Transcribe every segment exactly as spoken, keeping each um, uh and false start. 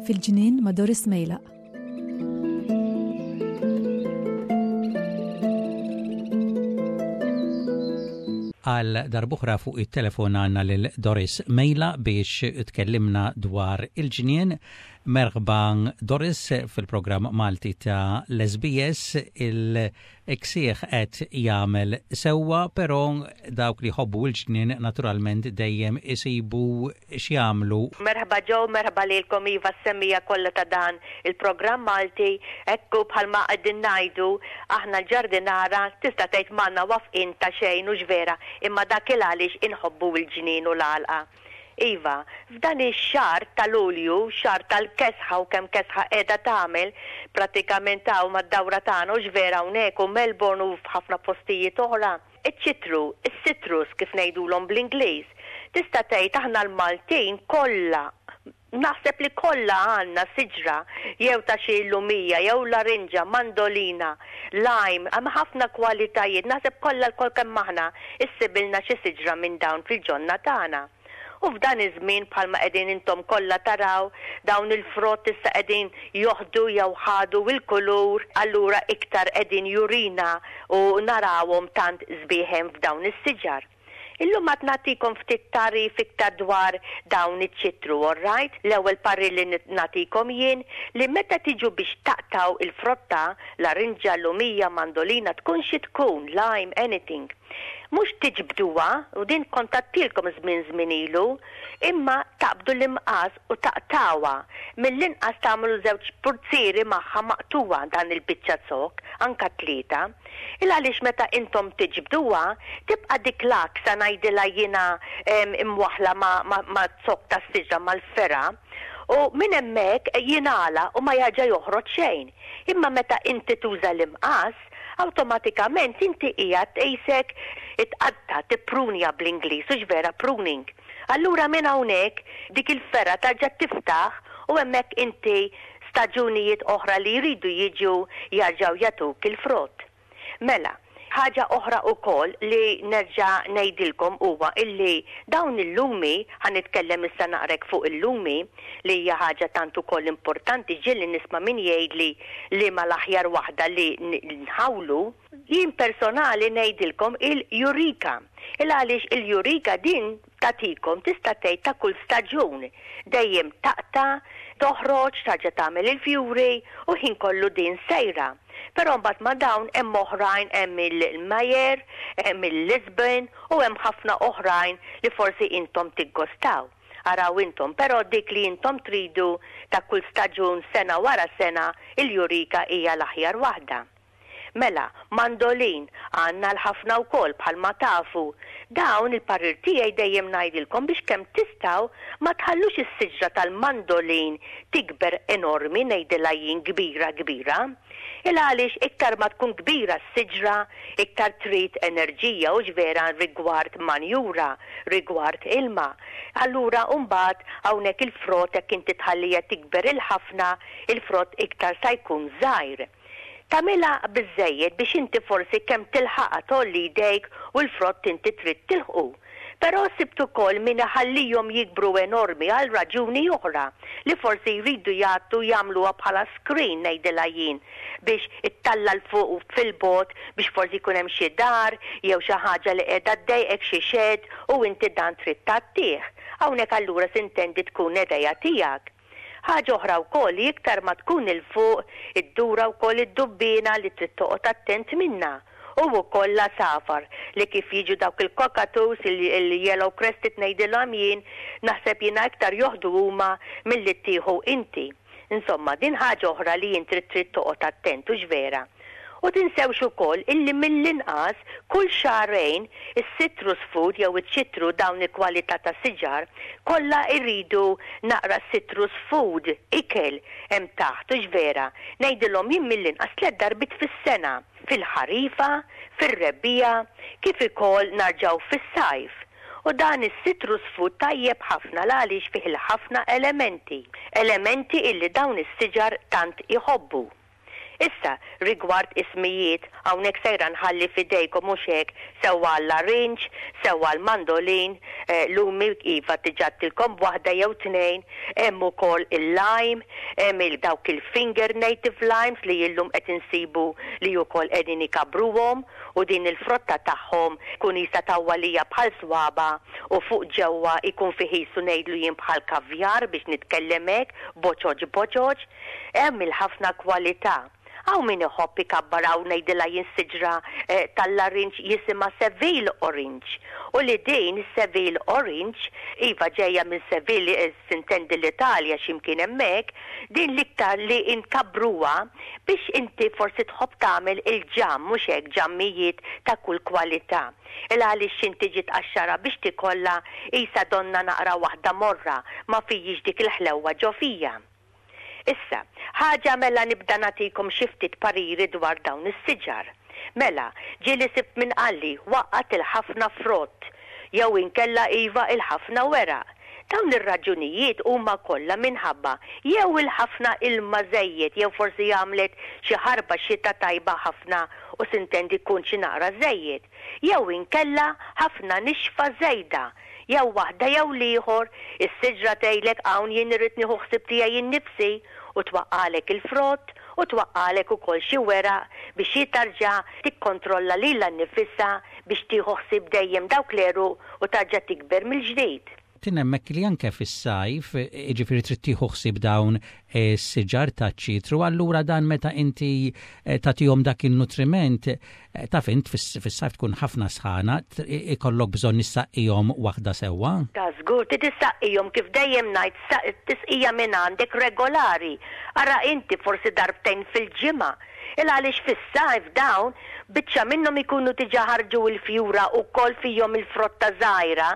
Fil-ġnien ma' Doris Mejlaq. Għal darb'oħra fuq it-telefon għandna lil Doris Mejla biex tkellimna dwar il-ġnien. Merħba, Doris, fil-programm Malti ta' l-S B S. Il-ksieħ qed jagħmel sewwa, però dawk li jħobbu l-ġnien naturalment dejjem isibu x'jagħmlu. Merħba Joe, merħba lilkom, iva, s-semmiegħa kollha ta' dan il-programm Malti. Ekku, bħalma qegħdin ngħidu aħna l-ġardinara, tista' tgħid m'għandna waqfien ta' xejn, u vera, imma dak il għaliex inħobbu l-ġnien u l-għalqa. Iva, f'dan ix-xahar ta' Lulju, xahar tal-kesħa, u kemm kesħa qiegħda tagħmel pratikament hawn mad-dawra tagħna, u vera hawnhekk u Melbourne u f'ħafna postijiet oħra. Iċ-ċitru, is-citrus kif ngħidulhom bl-Ingliż, tista' tgħid aħna l-Maltin kollha, naħseb li kollha għandna siġra jew ta' xi lumija jew larinġa, mandolina, lime, hemm ħafna kwalitajiet, naħseb kollha lkoll kemm aħna issibilna xi siġra minn dawn fil-ġonna tagħna. U f'dan iż-żmien, bħalma qegħdin intom kollha taraw, dawn il-frott issa qegħdin joħdu jew ħadu il-kulur, allura iktar qegħdin jurina u narawhom tant sbieħ hemm f'dawn is-siġar. Illum għad nagħtikom ftit tagħrif iktar dwar dawn iċ-ċitru, all right? L-ewwel parir li nagħtikom jien li meta tiġu biex taqtaw il-frotta, larinġa, lumija, mandolina, tkun xi tkun, lime, anything. Mhux tiġbduha, u din kont għedtilkom żmien żmien ilu, imma taqbdu l-imqas u taqtawha. Mill-inqas tagħmlu żewġ purzieri magħha maqtuwa dan il-biċċa zokk, anka tlieta. Il għaliex meta intom tiġbduha, tibqa' dik l-aksa, ngħidilha jiena, imwaħla ma, ma, ma zokk tas-siġra, mal-fergħa, u minn hemmhekk jingħala u ma jarġa' joħroġ xejn. Imma meta inti tuża l-imqas, awtomatikament inti qiegħed tqisek itqatta, tipprunja bl-Ingliż, u vera, pruning. Allura minn hawnhekk dik il-fergħa tarġa' tiftaħ u hemmhekk inti staġunijiet oħra li jridu jiġu jarġgħu jagħtuk il-frott. Mela, ħaġa oħra wkoll li nerġa' ngħidilkom huwa illi dawn il-lumi, ħa nitkellem issa naqrek fuq il-lumi, li hija ħaġa tant ukoll importanti, ġieli nisma' min jgħidli li ma l-aħjar waħda li nħawlu. Jien personali ngħidilkom il-Eureka. Il għaliex il-Eureka din tagħtikom, tista' tgħid, ta' kull staġun. Dejjem taqta', toħroġ, tarġa' tagħmel il-fjuri u ħin kollu din sejra. Però mbagħad ma' dawn hemm oħrajn, hemm il-Meyer, hemm il-Lisbon u hemm ħafna oħrajn li forsi intom tiggostaw. Araw intom, però dik li intom tridu ta' kull staġun, sena wara sena, il-Eureka hija l-aħjar waħda. Mela, mandolin, għandna l-ħafna wkoll, bħalma tafu. Dawn il-parir tiegħi dejjem ngħidilkom biex kemm tistgħu ma tħallux is-siġra tal-mandolin tikber enormi, ngħidilha jien kbira kbira. Il għaliex iktar ma tkun kbira s-siġra, iktar trid enerġija, u vera, rigward manjura, rigward ilma. Allura mbagħad hawnhekk il-frott, jekk inti tħallija tikber il-ħafna, il-frott iktar sa jkun żgħir. Tagħmilha biżejjed biex inti forsi kemm tilħaqha, tgħolli jdejk u l-frott inti trid tilħqu. Però sibt ukoll min iħallihom jikbru enormi għal raġuni oħra, li forsi jridu jagħtu, jagħmluha bħala screen, ngħidilha jien, biex ittalla 'l fuq u fil-bogħod, biex forsi jkun hemm xi dar jew xi ħaġa li qiegħda ddejqek, xi shed, u inti dan trid tgħattih. Hawnhekk allura s'intendi tkun idea tiegħek. Ħaġa oħra wkoll li iktar ma tkun 'il fuq iddura wkoll id-dubbina li trid toqgħod attent minna. U wkoll l-għasafar li kif jiġu dawk il-cockatoos, il-yellow crested ngħidilhom jien, naħseb jiena iktar joħdu huma milli tieħu inti. Insomma, din ħaġa oħra li jien trid trid toqgħod attent, u vera. U tinsewx ukoll illi mill-inqas kull xahrejn is-citrus food jew iċ-ċitru, dawn il-kwalità ta' siġar kollha jridu naqra citrus food, ikel hemm taħt, u vera. Ngħidilhom jien mill-inqas tliet darbiet fis-sena, fil-ħarifa, fir-rebbiegħa, kif ukoll narġaw fis-sajf. U dan is-citrus food tajjeb ħafna għaliex fih il-ħafna elementi, elementi illi dawn is-siġar tant iħobbu. Issa, Rigward ismijiet, hawnhekk sejra nħalli f'idejkom, mhux hekk, sewwa l-larinġ, sewwa l-mandolin, eh, lumi iva diġà għedtilkom waħda jew tnejn, hemm ukoll il-lime, hemm il dawk il-finger native limes li illum qed insibu li wkoll qegħdin ikabbruhom u din il-frotta tagħhom kun jista' tawwalija bħal swaba u fuq ġewwa ikun fih qisu ngħidlu jien bħal kavjar, biex nitkellem hekk, boċoċ boċoċ, hemm il-ħafna kwalità. Hawn min iħobb ikabbar, hawn ngħidilha jien, siġra eh, tal-larinġ jisimha Seville Orange. U li din Seville Orange, iva, ġejja minn Seville, eh, sintendi l-Italja, x'imkien hemmhekk, din l-iktar li inkabbruha biex inti forsi tħobb tagħmel il-ġam, mhux hekk, ġammijiet ta' kull kwalità. Il għaliex inti ġiet qaxxara biex tikollha isa donna naqra waħda morra, ma fijiex dik il-ħlewwa ġo fija. Issa, ħaġa, mela nibda nagħtikom xi ftit pariri dwar dawn is-siġar. Mela, ġieli sibt min qalli waqqgħet il-ħafna frott, jew inkella iva il-ħafna weraq. Dawn ir-raġunijiet huma kollha minħabba jew il-ħafna ilma żejjed, jew forsi għamlet xi ħarba xita tajba ħafna u sintendi kun xi naqra żejjed, jew inkella ħafna nixfa żejda, jew waħda jew l-ieħor, is-siġra tgħidlek hawn jien irrid nieħu ħsieb tiegħi innifsi u twaqqalek il-frott u twaqqalek ukoll xi weraq biex hi tarġa' tikkontrolla lilha nnifisha biex tieħu ħsieb dejjem dawk l-għeruq u tarġa' tikber mill-ġdid. Tin hemmhekk li anke fis-sajf, jiġifieri trid tieħu ħsieb dawn is-siġar taċ-ċitru, allura dan meta inti eh, tagħtihom dak il-nutriment, eh, taf int fis-sajf tkun ħafna sħana, ikollok bżonn issaqqihom waħda sewwa. Ta' żgur, trid issaqqihom, kif dejjem ngħid, tisqija minn għandek regolari. Ara inti, forsi darbtejn fil-ġimgħa. Il għaliex fis-sajf dawn biċċa minnhom ikunu diġà ħarġu il-fjura u kol fihom il-frotta żgħira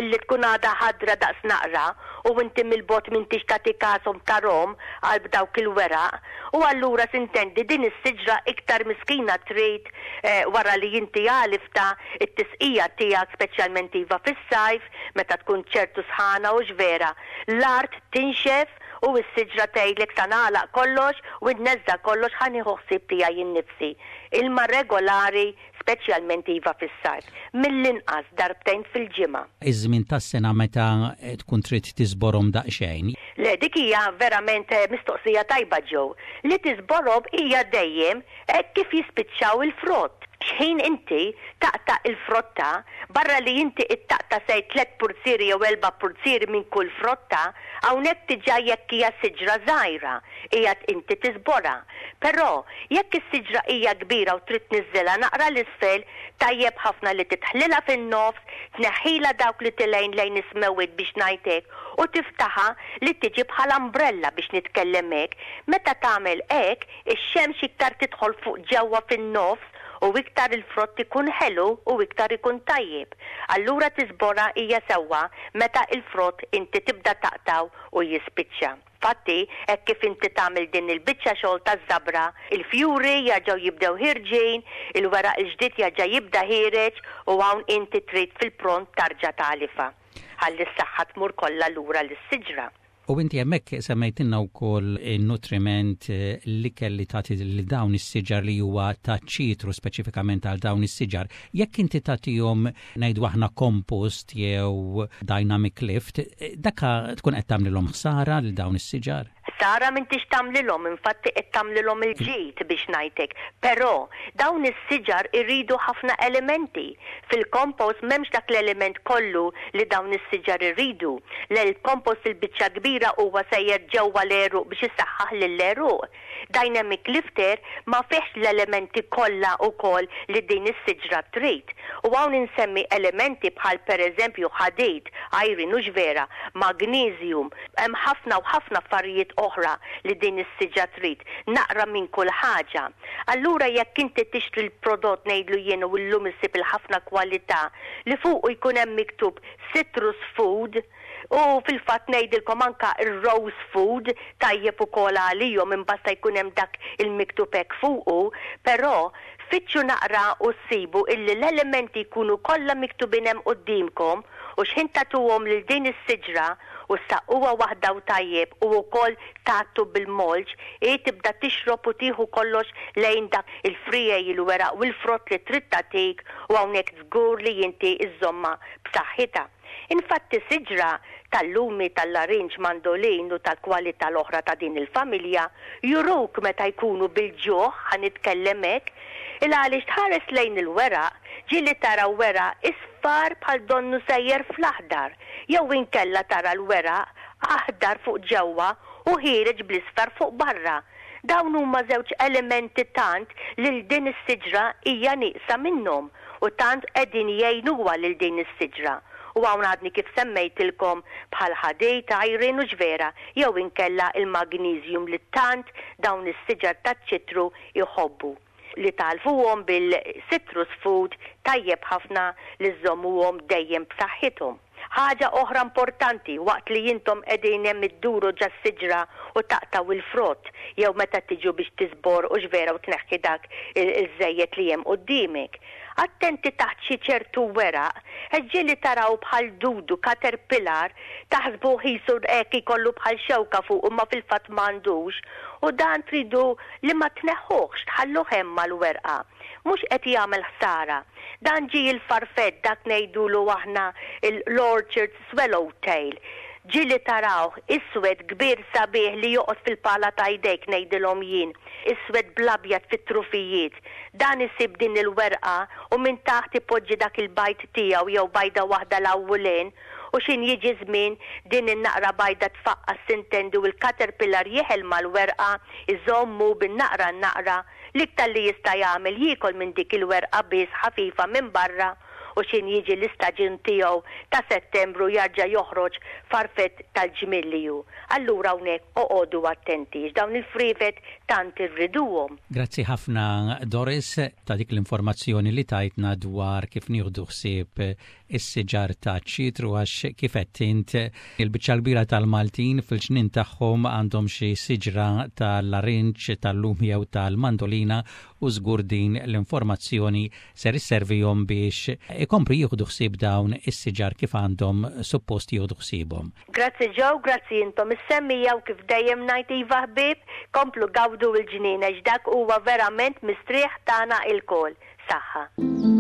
illi tkun għadha ħadra daqs naqra u inti mill-bogħod m'intix tagħti kashom, tarahom għal dawk il-weraq, u allura sintendi din is-siġra iktar miskina trid eh, wara li inti għalifta it-tisqija tiegħek, speċjalment iva fis-sajf meta tkun ċertu sħana u vera. L-art tinxef u s-siġra tgħidlek sa nagħlaq kollox u nneżża' kollox, ħa nieħu ħsieb tiegħi innifsi. Ilma regolari, speċjalment iva fis-sajf. Mill-inqas darbtejn fil-ġimgħa. Iż-żmien tas-sena meta tkun trid tiżborhom daqsxejn? Le, dik hija verament eh, mistoqsija tajba ġew. Li tiżborhom hija dejjem hekk kif jispiċċaw il-frott. Xħin inti taqta' il-frotta, barra li inti ittaqta' sej tlet purzieri jew erba' purzieri minn kull frotta, hawnhekk diġà jekk hija siġra żgħira, qiegħed inti tiżborha. Però jekk is-siġra hija kbira u trid tniżżilha naqra l-isfel, tajjeb ħafna li tidħlilha fin-nofs, tneħħila dawk li telgħin lejn is-smewwiet, biex ngħidlek, u tiftaħa li tiġi bħala umbrella, biex nitkellem hekk. Meta tagħmel hekk, ix-xemx iktar tidħol fuq ġewwa fin-nofs u iktar il-frott ikun ħelu u iktar ikun tajjeb. Allura tiżborha hija sewwa meta il-frott inti tibda taqtaw u jispiċċa. Fatti, hekk kif inti tagħmel din il-biċċa xogħol taż-żabra, il-fjuri jerġgħu jibdew ħierġin, il-weraq il-ġdid jerġa' jibda ħiereġ u hawn inti trid fil-pront tarġa' tagħlifha. Ħalli s-saħħa tmur kollha lura lis-siġra. U inti hemmhekk semmejtilna wkoll il-nutriment, eh, li kelli tagħti li dawn is-siġar li huwa ta' ċitru, speċifikament għal dawn is-siġar. Jekk inti tagħtihom, ngħidu aħna, compost jew dynamic lift, eh, daka tkun qed tagħmlilhom ħsara lil dawn is-siġar? Ħsara m'intix tagħmlilhom, infatti qed tagħmlilhom il-ġid, biex ngħidlek. Però dawn is-siġar irridu ħafna elementi. Fil-kompost m'hemmx dak l-element kollu li dawn is-siġar irridu. L-kompost il-biċċa kbira huwa sejjer ġewwa l-għeruq biex isaħħaħ lill-għeruq. Dynamic lifter ma fihx l-elementi kollha wkoll li din is-siġra trid. U hawn insemmi elementi bħal pereżempju ħadid, iron, u vera, magnesium, hemm ħafna u ħafna affarijiet oħra li din is-siġra trid. Naqra minn kull ħaġa. Allura jekk inti tixtri l-prodott, ngħidlu jien, u llum issib il-ħafna kwalità li fuq jkun hemm miktub citrus food, u fil-fatt ngħidilkom anka ir-rose food tajjeb ukoll għalihom, imbasta jkun hemm dak il-miktub hekk fuqu, però fittxu naqra u ssibu illi l-elementi jkunu kollha miktubin hemm quddiemkom u x'ħin tagħtuhom lil din is-siġra. u ssaqquha waħda u tajjeb u wkoll tgħattu bil-mulch, hi tibda tixrob u tieħu kollox lejn dak il-friegħi, il-weraq u l-frott li trid tagħtik u hawnhekk żgur li inti iżżommha b'saħħitha. Infatti siġra tal-lumi, tal-larinġ, mandolin u tal-kwalità l-oħra ta' din il-familja juruk meta jkunu bil-ġuħ, ħa nitkellem hekk, il għaliex tħares lejn il-weraq, ġieli tara weraq isfar bħal donnu sejjer fl-aħdar, jew inkella tara l-weraq aħdar fuq ġewwa u ħiereġ bl-isfar fuq barra. Dawn huma żewġ elementi tant lil din is-siġra hija nieqsa minnhom u tant qegħdin jgħinuha lil din is-siġra. U hawn għadni kif semmejtilkom bħal ħadid, iron u ġvera, jew inkella il-magnesium li tant dawn is-siġar taċ-ċitru jħobbu. Li tgħalfuhom bil-citrus food tajjeb ħafna li żżommuhom dejjem b'saħħithom. Ħaġa oħra importanti waqt li intom qegħdin hemm idduru ġa siġra u taqtaw il-frott jew meta tiġu biex tiżbor u x'vera u tneħħi dak il-żejjed li hemm quddiemek. Attenti taħt xi ċertu weraq, ġieli taraw bħal dudu caterpillar taħsbu qisu hekk ikollu bħal xewka fuq imma fil-fatt m'għandux u dan tridu li ma tneħħuhx tħalluh hemm mal-werqa. Mhux qed jagħmel ħsara. Dan ġie il-farfett dak ngħidulu aħna l-orchard swallowtail. Ġieli tarawh iswed kbir sabiħ li joqgħod fil-pala ta' jdejk ngħidilhom jien, iswed bl-abjad fit-trufijiet. Dan isib din il-werqa u minn taħt ipoġġi dak il-bajd tiegħu jew bajda waħda l-awwulin u x'ħin jiġi żmien din in-naqra bajda tfaqqas sintendi u l-caterpillar jeħel mal-werqa iżommu bin-naqra n-naqra l-iktar li jista' jagħmel jiekol minn dik il-werqa biss ħafifa minn barra u x'ħin jiġi l-istaġun tiegħu ta' Settembru jarġa' joħroġ farfett tal-ġmilliju. Allura hawnhekk oqogħdu attenti dawn il-friefet tant irriduhom. Grazzi ħafna Doris ta' dik l-informazzjoni li tajtna dwar kif nieħdu ħsieb is-siġar ta' ċitru għax kif qed int il-biċċa kbira tal-Maltin fil-ġnien tagħhom għandhom xi siġra tal-larinġ, tal-lumi jew tal-mandolina u żgur din l-informazzjoni ser isservihom biex ikomplu jieħdu ħsieb dawn is-siġar kif għandhom suppost jieħdu ħsiebhom. Grazzi Joe, grazzi intom is-semmiegħa u kif dejjem ngħid iva ħbieb, komplu gawdu l-ġnien għax dak huwa verament mistrieħ tagħna ilkoll. Saħħa.